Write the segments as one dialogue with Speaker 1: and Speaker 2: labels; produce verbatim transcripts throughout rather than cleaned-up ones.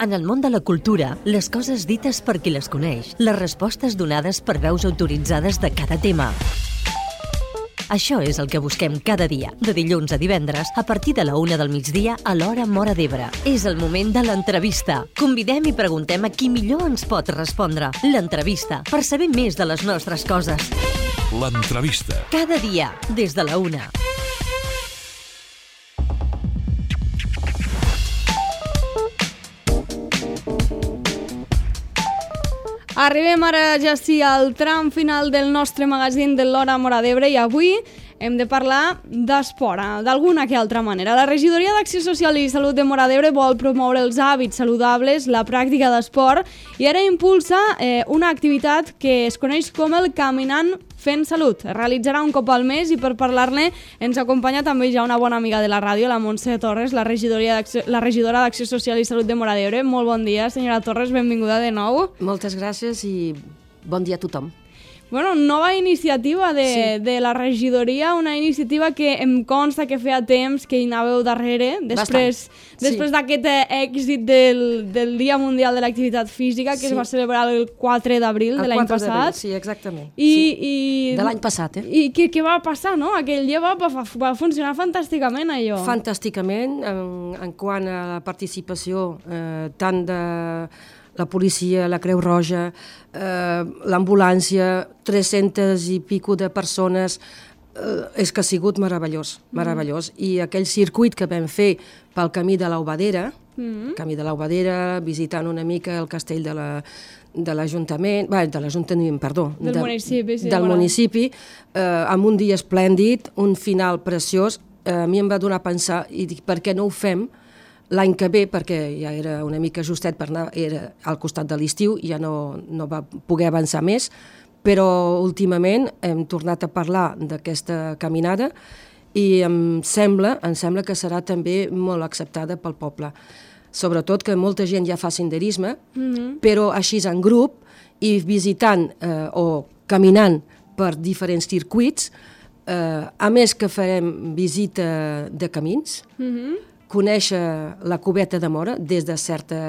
Speaker 1: En el món de la cultura, les coses dites per qui les coneix, les respostes donades per veus autoritzades de cada tema. Això és el que busquem cada dia, de dilluns a divendres, a partir de la una del migdia a l'hora Móra d'Ebre. És el moment de l'entrevista. Convidem i preguntem a qui millor ens pot respondre. L'entrevista, per saber més de les nostres coses.
Speaker 2: L'entrevista.
Speaker 1: Cada dia, des de la una.
Speaker 3: Arribem ara ja sí al tram final del nostre magazín de l'Hora Móra d'Ebre i avui hem de parlar d'esport, d'alguna que altra manera. La Regidoria d'Acció Social i Salut de Móra d'Ebre vol promoure els hàbits saludables, la pràctica d'esport i ara impulsa eh, una activitat que es coneix com el Caminant Fent Salut. Es realitzarà un cop al mes i per parlar-ne ens acompanya també ja una bona amiga de la ràdio, la Montse Torres, la, la regidora d'Acció Social i Salut de Móra d'Ebre. Molt bon dia, senyora Torres, benvinguda de nou.
Speaker 4: Moltes gràcies i bon dia a tothom.
Speaker 3: Bueno, nova iniciativa de, sí. de la regidoria, una iniciativa que em consta que feia temps que hi anàveu darrere, després, després sí. d'aquest èxit del, del Dia Mundial de l'Activitat Física, que sí. es va celebrar el quatre d'abril de l'any passat.
Speaker 4: Sí, exactament.
Speaker 3: I,
Speaker 4: sí.
Speaker 3: i,
Speaker 4: de l'any passat, eh?
Speaker 3: I què, què va passar, no? Aquell dia va, va, va funcionar fantàsticament, allò.
Speaker 4: Fantàsticament, en, en quant a la participació eh, tant de la policia, la Creu Roja, eh, l'ambulància, tres-centes i pico de persones, eh, és que ha sigut meravellós, meravellós. Mm. I aquell circuit que vam fer pel camí de l'Aubadera, mm. camí de l'Aubadera, visitant una mica el castell de la de l'Ajuntament, bé, de l'Ajuntament, perdó,
Speaker 3: del
Speaker 4: de,
Speaker 3: municipi, sí,
Speaker 4: del municipi eh, amb un dia esplèndid, un final preciós, eh, a mi em va donar a pensar, i dic, per què no ho fem l'any que ve, perquè ja era una mica justet per anar, era al costat de l'estiu, ja no, no va poder avançar més, però últimament hem tornat a parlar d'aquesta caminada i em sembla, em sembla que serà també molt acceptada pel poble. Sobretot que molta gent ja fa senderisme, mm-hmm. però així en grup i visitant eh, o caminant per diferents circuits, eh, a més que farem visita de camins, mm-hmm. conèixer la cubeta de Móra des de certa,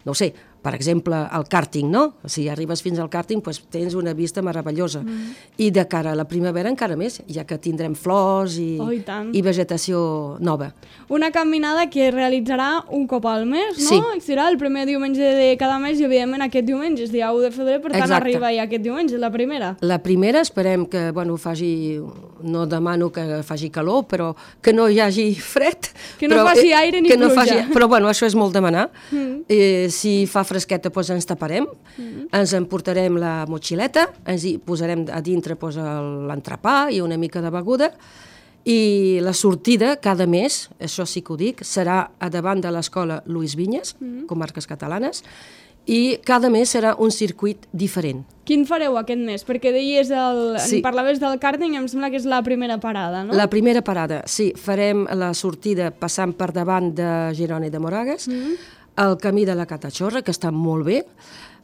Speaker 4: no sé, per exemple, el càrting, no? Si arribes fins al càrting, doncs tens una vista meravellosa. Mm. I de cara a la primavera encara més, ja que tindrem flors i,
Speaker 3: oh, i,
Speaker 4: i vegetació nova.
Speaker 3: Una caminada que es realitzarà un cop al mes, no?
Speaker 4: Sí.
Speaker 3: Serà el primer diumenge de cada mes i, evidentment, aquest diumenge és dia u de febrer, per tant,
Speaker 4: exacte.
Speaker 3: Arriba ja aquest diumenge, la primera.
Speaker 4: La primera, esperem que, bueno, faci, no demano que faci calor, però que no hi hagi fred.
Speaker 3: Que no
Speaker 4: però,
Speaker 3: faci aire ni
Speaker 4: no
Speaker 3: pluja.
Speaker 4: Faci, però, bueno, això és molt demanar.
Speaker 3: Mm.
Speaker 4: Eh, si fa fresqueta, doncs ens taparem, mm. ens emportarem la motxileta, ens hi posarem a dintre doncs, l'entrepà i una mica de beguda, i la sortida cada mes, això sí que ho dic, serà a davant de l'escola Luis Vinyes, mm. Comarques Catalanes, i cada mes serà un circuit diferent.
Speaker 3: Quin fareu aquest mes? Perquè deies, el,
Speaker 4: sí.
Speaker 3: parlaves del càrting, em sembla que és la primera parada, no?
Speaker 4: La primera parada, sí. Farem la sortida passant per davant de Girona i de Moragues, mm. el camí de la Catachorra, que està molt bé,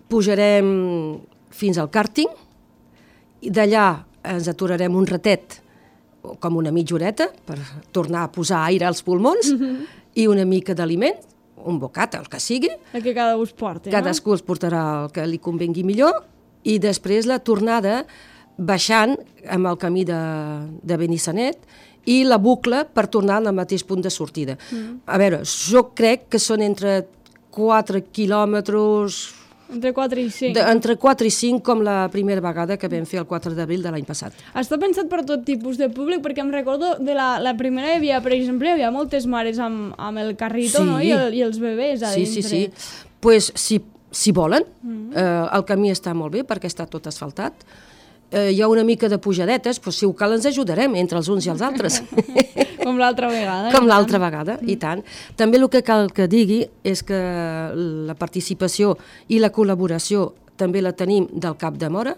Speaker 4: pujarem fins al càrting, i d'allà ens aturarem un ratet, com una mitja horeta, per tornar a posar aire als pulmons, mm-hmm. i una mica d'aliment, un bocat, el que sigui.
Speaker 3: El que cada us porti,
Speaker 4: Cadascú
Speaker 3: no?
Speaker 4: els portarà el que li convengui millor, i després la tornada baixant amb el camí de, de Benissanet, i la bucla per tornar al mateix punt de sortida. Mm. A veure, jo crec que són entre quatre quilòmetres...
Speaker 3: Entre quatre i cinc.
Speaker 4: De, entre quatre i cinc, com la primera vegada que vam fer el quatre d'abril de l'any passat.
Speaker 3: Està pensat per tot tipus de públic, perquè em recordo de la, la primera hi havia, per exemple, hi havia moltes mares amb, amb el carrito, sí. no? I, el, i els bebès a
Speaker 4: sí,
Speaker 3: dintre.
Speaker 4: Sí, sí, sí. Pues, si, si volen, mm. eh, el camí està molt bé perquè està tot asfaltat. Eh, hi ha una mica de pujadetes, però si ho cal ens ajudarem entre els uns i els altres.
Speaker 3: Com l'altra vegada.
Speaker 4: Com l'altra vegada, mm. i tant. També el que cal que digui és que la participació i la col·laboració també la tenim del Cap de Móra.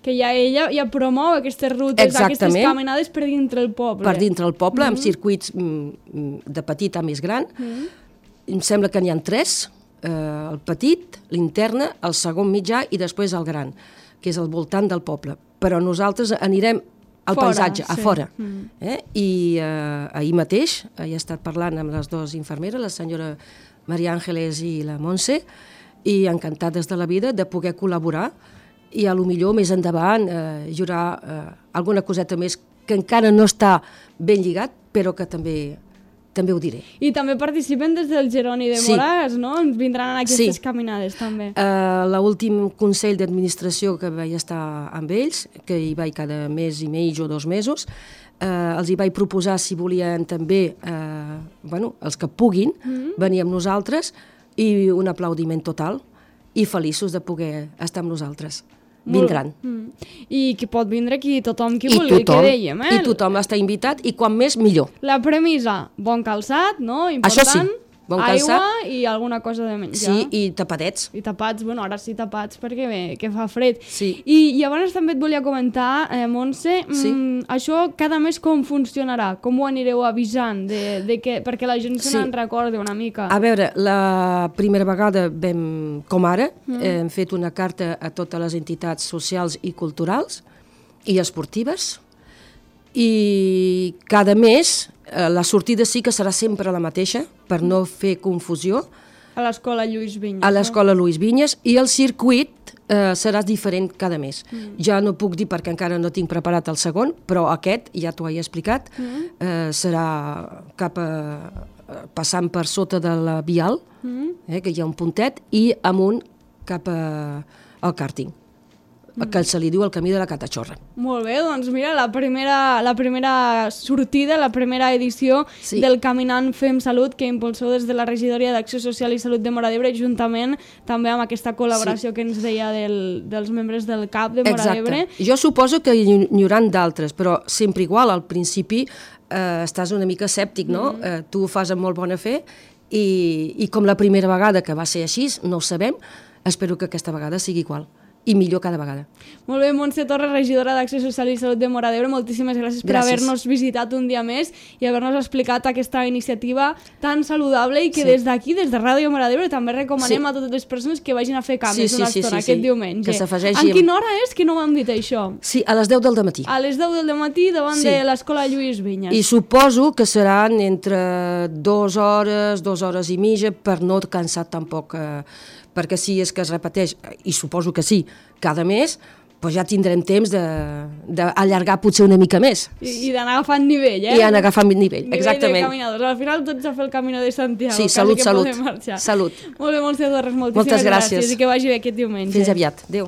Speaker 3: Que ja ella ja promou aquestes rutes,
Speaker 4: exactament,
Speaker 3: aquestes caminades per dintre el poble.
Speaker 4: Per dintre el poble, mm. amb circuits mm, de petit a més gran. Mm. Em sembla que n'hi ha tres, eh, el petit, l'interna, el segon mitjà i després el gran, que és al voltant del poble. Però nosaltres anirem al fora, paisatge, sí. a fora. Mm. Eh? I eh, ahir mateix he estat parlant amb les dues infermeres, la senyora Maria Àngeles i la Montse, i encantades de la vida de poder col·laborar i a lo millor més endavant eh, hi haurà eh, alguna coseta més que encara no està ben lligat, però que també també ho diré.
Speaker 3: I també participen des del Geroni de
Speaker 4: Sí.
Speaker 3: Moragas, no? Ens vindran en aquestes
Speaker 4: Sí.
Speaker 3: caminades, també.
Speaker 4: Uh, L'últim Consell d'Administració que vaig estar amb ells, que hi vaig cada mes i mig o dos mesos, uh, els hi vaig proposar si volien també, uh, bueno, els que puguin, mm-hmm. venir amb nosaltres, i un aplaudiment total, i feliços de poder estar amb nosaltres. Vindran.
Speaker 3: Mm. I que pot vindre aquí tothom qui
Speaker 4: I
Speaker 3: vulgui,
Speaker 4: tothom,
Speaker 3: que dèiem, eh?
Speaker 4: I tothom està invitat, i quan més, millor.
Speaker 3: La premissa, bon calçat, no? Important.
Speaker 4: Això sí, bon calçat.
Speaker 3: Aigua i alguna cosa de menjar.
Speaker 4: Sí, i tapadets.
Speaker 3: I tapats, bueno, ara sí tapats perquè bé, que fa fred.
Speaker 4: Sí.
Speaker 3: I, i abans també et volia comentar, eh, Montse,
Speaker 4: Sí.
Speaker 3: mm, això cada mes com funcionarà? Com ho anireu avisant? De, de que, perquè la gent se
Speaker 4: Sí.
Speaker 3: n'en recordi una mica.
Speaker 4: A veure, la primera vegada vam, com ara, mm. hem fet una carta a totes les entitats socials i culturals i esportives, i cada mes eh, la sortida sí que serà sempre la mateixa, per no fer confusió,
Speaker 3: A l'escola Lluís Vinyes.
Speaker 4: a l'escola Lluís Vinyes, i el circuit eh, serà diferent cada mes. Mm. Ja no puc dir perquè encara no tinc preparat el segon, però aquest, ja t'ho he explicat, mm. eh, serà cap a, passant per sota de la vial, mm. eh, que hi ha un puntet, i amunt cap a, al càrting, mm. que se li diu el camí de la Catachorra.
Speaker 3: Molt bé, doncs mira, la primera, la primera sortida, la primera edició
Speaker 4: Sí.
Speaker 3: del Caminant Fem Salut, que impulsou des de la Regidoria d'Acció Social i Salut de Móra d'Ebre, juntament també amb aquesta col·laboració sí. que ens deia del, dels membres del C A P de Móra d'Ebre.
Speaker 4: Jo suposo que hi, hi haurà d'altres, però sempre igual, al principi eh, estàs una mica escèptic, no? Mm. Eh, tu ho fas amb molt bona fe, i, i com la primera vegada que va ser així, no ho sabem, espero que aquesta vegada sigui igual, i millor cada vegada.
Speaker 3: Molt bé, Montse Torres, regidora d'Acció Social i Salut de Móra d'Ebre, moltíssimes gràcies, gràcies per haver-nos visitat un dia més i haver-nos explicat aquesta iniciativa tan saludable i que sí. des d'aquí, des de Ràdio Móra d'Ebre, també recomanem sí. a totes les persones que vagin a fer canvis
Speaker 4: sí, sí,
Speaker 3: una
Speaker 4: sí,
Speaker 3: estona
Speaker 4: sí, sí.
Speaker 3: aquest diumenge.
Speaker 4: Que s'afegeixi
Speaker 3: En
Speaker 4: amb...
Speaker 3: quina hora és que no m'han dit això?
Speaker 4: Sí, a les deu del matí.
Speaker 3: A les deu del matí davant
Speaker 4: Sí.
Speaker 3: de l'escola Lluís Vinyes.
Speaker 4: I suposo que seran entre dues hores, dues hores i mitja, per no cansar tampoc, eh, perquè si és que es repeteix, i suposo que sí, cada mes, doncs ja tindrem temps d'allargar potser una mica més.
Speaker 3: I, i d'anar agafant nivell, eh?
Speaker 4: I anar agafant nivell,
Speaker 3: nivell
Speaker 4: exactament.
Speaker 3: de caminadors. Al final tots a fer el Camino de Santiago.
Speaker 4: Sí,
Speaker 3: quasi
Speaker 4: salut,
Speaker 3: que
Speaker 4: salut.
Speaker 3: podem marxar.
Speaker 4: Salut.
Speaker 3: Molt bé, Montse Torres, moltíssimes
Speaker 4: Moltes gràcies.
Speaker 3: gràcies i que vagi bé aquest diumenge.
Speaker 4: Fins aviat. Adéu.